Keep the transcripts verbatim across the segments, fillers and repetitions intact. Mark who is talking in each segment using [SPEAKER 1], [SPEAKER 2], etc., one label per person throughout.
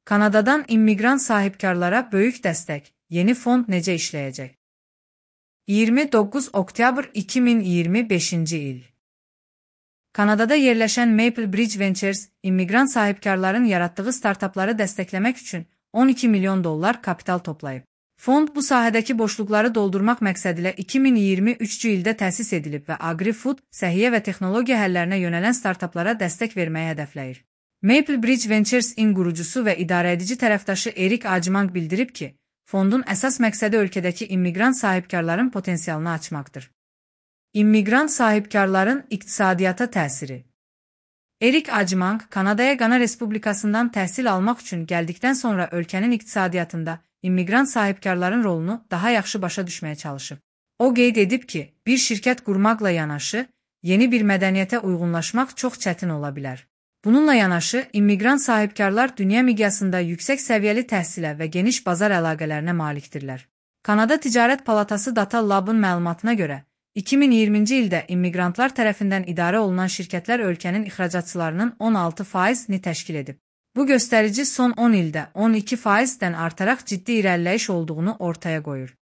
[SPEAKER 1] Kanadadan immiqrant sahibkarlara böyük dəstək. Yeni fond necə işləyəcək? iyirmi doqquz oktyabr iki min iyirmi beşinci il. Kanadada yerləşən Maple Bridge Ventures, immiqrant sahibkarların yaratdığı startapları dəstəkləmək üçün on iki milyon dollar kapital toplayıb. Fond bu sahədəki boşluqları doldurmaq məqsədilə iki min iyirmi üçüncü ildə təsis edilib və agri-food, səhiyyə və texnologiya həllərinə yönələn startaplara dəstək verməyi hədəfləyir. Maple Bridge Ventures-in qurucusu və idarəedici tərəfdaşı Erik Ajmang bildirib ki, fondun əsas məqsədi ölkədəki immiqrant sahibkarların potensialını açmaqdır. İmmiqrant sahibkarların iqtisadiyyata təsiri. Erik Ajmang, Kanadaya Qana Respublikasından təhsil almaq üçün gəldikdən sonra ölkənin iqtisadiyyatında immiqrant sahibkarların rolunu daha yaxşı başa düşməyə çalışıb. O qeyd edib ki, bir şirkət qurmaqla yanaşı, yeni bir mədəniyyətə uyğunlaşmaq çox çətin ola bilər. Bununla yanaşı, immiqrant sahibkarlar dünya miqyasında yüksək səviyyəli təhsilə və geniş bazar əlaqələrinə malikdirlər. Kanada Ticarət Palatası Data Lab'ın məlumatına görə, iki min iyirminci ildə immiqrantlar tərəfindən idarə olunan şirkətlər ölkənin ixracatçılarının on altı faizini təşkil edib. Bu göstərici son on ildə on iki faizdən artaraq ciddi irəliləyiş olduğunu ortaya qoyur.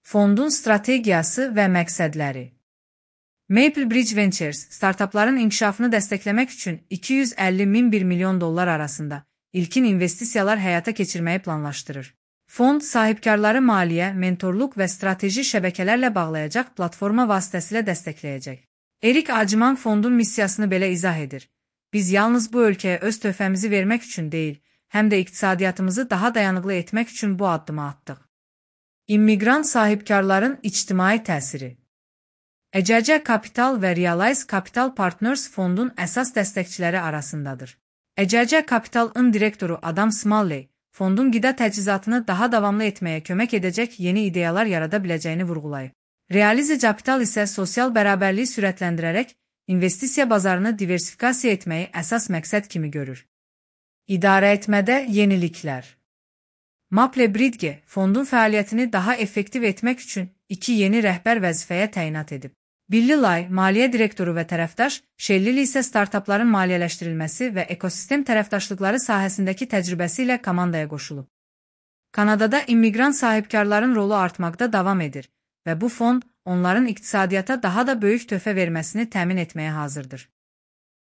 [SPEAKER 1] Fondun strategiyası və məqsədləri. Maple Bridge Ventures, startapların inkişafını dəstəkləmək üçün iki yüz əlli min bir milyon dollar arasında ilkin investisiyalar həyata keçirməyi planlaşdırır. Fond, sahibkarları maliyyə, mentorluq və strateji şəbəkələrlə bağlayacaq platforma vasitəsilə dəstəkləyəcək. Erik Ajmang fondun missiyasını belə izah edir. Biz yalnız bu ölkəyə öz töhfəmizi vermək üçün deyil, həm də iqtisadiyyatımızı daha dayanıqlı etmək üçün bu addımı atdıq. İmmiqrant sahibkarların ictimai təsiri. E C C Capital və Realize Capital Partners fondun əsas dəstəkçiləri arasındadır. E C C Capital-ın direktoru Adam Smalley, fondun qida təchizatını daha davamlı etməyə kömək edəcək yeni ideyalar yarada biləcəyini vurğulayıb. Realize Capital isə sosial bərabərliyi sürətləndirərək investisiya bazarını diversifikasiya etməyi əsas məqsəd kimi görür. İdarə etmədə yeniliklər. Maple Bridge fondun fəaliyyətini daha effektiv etmək üçün iki yeni rəhbər vəzifəyə təyinat edib. Billy Lai, maliyyə direktoru və tərəfdaş, Shelley isə startapların maliyyələşdirilməsi və ekosistem tərəfdaşlıqları sahəsindəki təcrübəsi ilə komandaya qoşulub. Kanadada immiqrant sahibkarların rolu artmaqda davam edir və bu fond onların iqtisadiyyata daha da böyük töhfə verməsini təmin etməyə hazırdır.